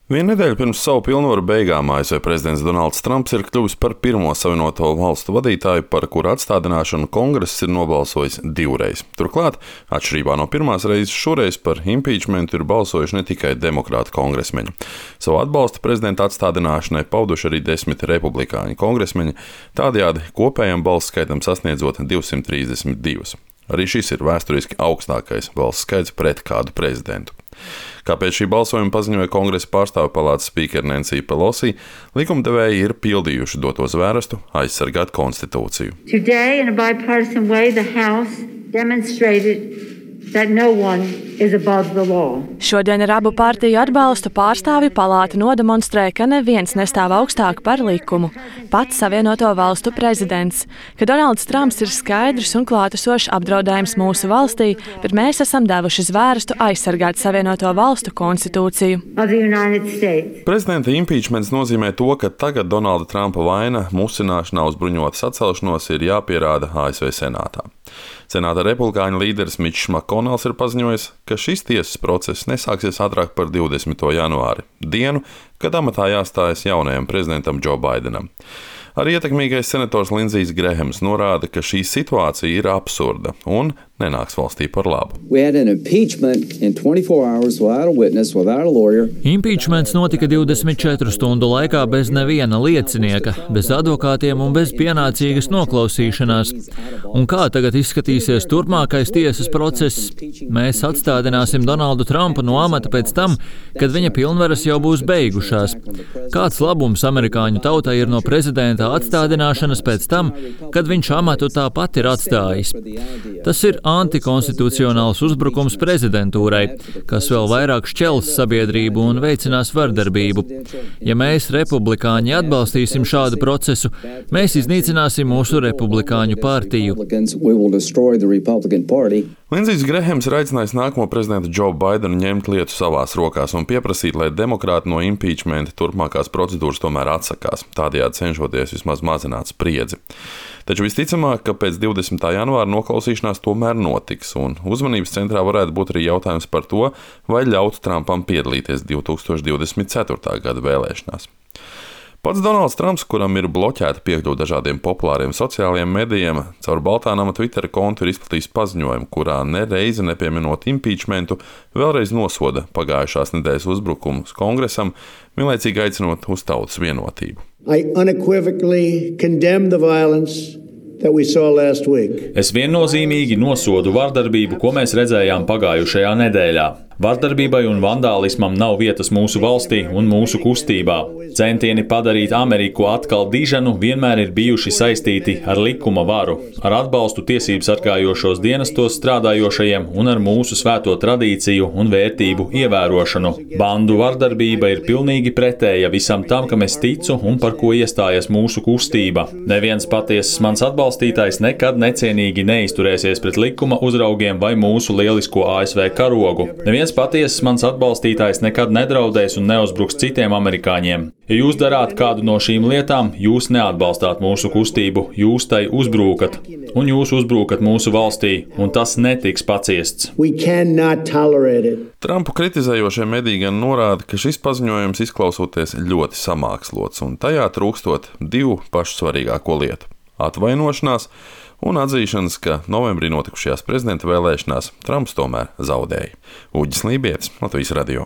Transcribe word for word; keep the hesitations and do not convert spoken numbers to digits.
Vienu nedēļu pirms savu pilnvaru beigām A S V prezidents Donalds Trumps ir kļuvis par pirmo Savienoto valstu vadītāju, par kuru atstādināšanu Kongress ir nobalsojis divreiz. Turklāt, atšķirībā no pirmās reizes, šoreiz par impeachmentu ir balsojuši ne tikai demokrāti kongresmeņi. Savu atbalstu prezidenta atstādināšanai pauduši arī desmit republikāņu kongresmeņi, tādējādi kopējam balsu skaitam sasniedzot divsimt trīsdesmit divas. Arī šis ir vēsturiski augstākais balsu skaits pret kādu prezidentu. Kā pēc šī balsojuma paziņoja Kongresa pārstāvju palātas spīkere Nancy Pelosi, likumdevēji ir pildījuši doto zvērestu aizsargāt konstitūciju. Today, in a bipartisan way, the House demonstrated that no one is above the law. Šodien ar abu partiju atbalstu pārstāvju palāta nodemonstrē, ka neviens nestāv augstāk par likumu, pats Savienoto valstu prezidents, ka Donalds Trumps ir skaidrs un klātesošs apdraudējums mūsu valstī, bet mēs esam devuši zvērstu aizsargāt Savienoto valstu konstitūciju. Prezidenta impeachments nozīmē to, ka tagad Donalda Trumpa vaina musināšanā uz bruņotas atcelšanos ir jāpierāda A S V senātā. Senāta republikāņu līderis Mičs Makonels ir paziņojis, ka šis tiesas process nesāksies ātrāk par divdesmito janvāri, dienu, kad amatā jāstājas jaunajam prezidentam Džo Baidenam. Arī ietekmīgais senators Lindsijs Grehams norāda, ka šī situācija ir absurda un nenāks valstī par labu. Impeachments notika divdesmit četru stundu laikā bez neviena liecinieka, bez advokātiem un bez pienācīgas noklausīšanās. Un kā tagad izskatīsies turpmākais tiesas process? Mēs atstādināsim Donaldu Trumpu no amata pēc tam, kad viņa pilnvaras jau būs beigušās. Kāds labums amerikāņu tautai ir no prezidenta atstādināšanas pēc tam, kad viņš amatu tāpat ir atstājis? Tas ir antikonstitucionāls uzbrukums prezidentūrai, kas vēl vairāk šķels sabiedrību un veicinās vardarbību. Ja mēs, republikāņi, atbalstīsim šādu procesu, mēs iznīcināsim mūsu republikāņu partiju. Lindsijs Grehams ir aicinājis nākamo prezidentu Džo Baidenu ņemt lietu savās rokās un pieprasīt, lai demokrāti no impeachmenta turpmākās procedūras tomēr atsakās, tādējādi cenšoties vismaz mazināt spriedzi. Taču visticamāk, ka pēc divdesmitā janvāra noklausīšanās tomēr notiks, un uzmanības centrā varētu būt arī jautājums par to, vai ļaut Trumpam piedalīties divi tūkstoši divdesmit ceturtā gada vēlēšanās. Pats Donalds Trumps, kuram ir bloķēta piekļuve dažādiem populāriem sociālajiem medijiem, caur Baltānama Twitter kontu ir izplatījis paziņojumu, kurā nereizi nepieminot impeachmentu, vēlreiz nosoda pagājušās nedēļas uzbrukumus Kongresam, vienlaicīgi aicinot uz tautas vienotību. I unequivocally condemn the violence that we saw last week. Es viennozīmīgi nosodu vardarbību, ko mēs redzējām pagājušajā nedēļā. Vardarbībai un vandālismam nav vietas mūsu valstī un mūsu kustībā. Centieni padarīt Ameriku atkal dižanu vienmēr ir bijuši saistīti ar likuma varu, ar atbalstu tiesību sargājošos dienestos strādājošajiem un ar mūsu svēto tradīciju un vērtību ievērošanu. Bandu vardarbība ir pilnīgi pretēja visam tam, kam es ticu un par ko iestājas mūsu kustība. Neviens patiesas mans atbalstītājs nekad necienīgi neizturēsies pret likuma uzraugiem vai mūsu lielisko A S V karogu. Neviens patiesas mans atbalstītājs nekad nedraudēs un neuzbruks citiem amerikāņiem. Ja jūs darāt kādu no šīm lietām, jūs neatbalstāt mūsu kustību, jūs tai uzbrukat, un jūs uzbrukat mūsu valstī, un tas netiks paciests. Trumpu kritizējošie mediji gan norāda, ka šis paziņojums izklausoties ļoti samākslots, un tajā trūkstot divu pašu svarīgāko lietu - atvainošanās un atzīšanas, ka novembrī notikušajās prezidenta vēlēšanās Trumps tomēr zaudēja. Uģis Lībietis, Latvijas radio.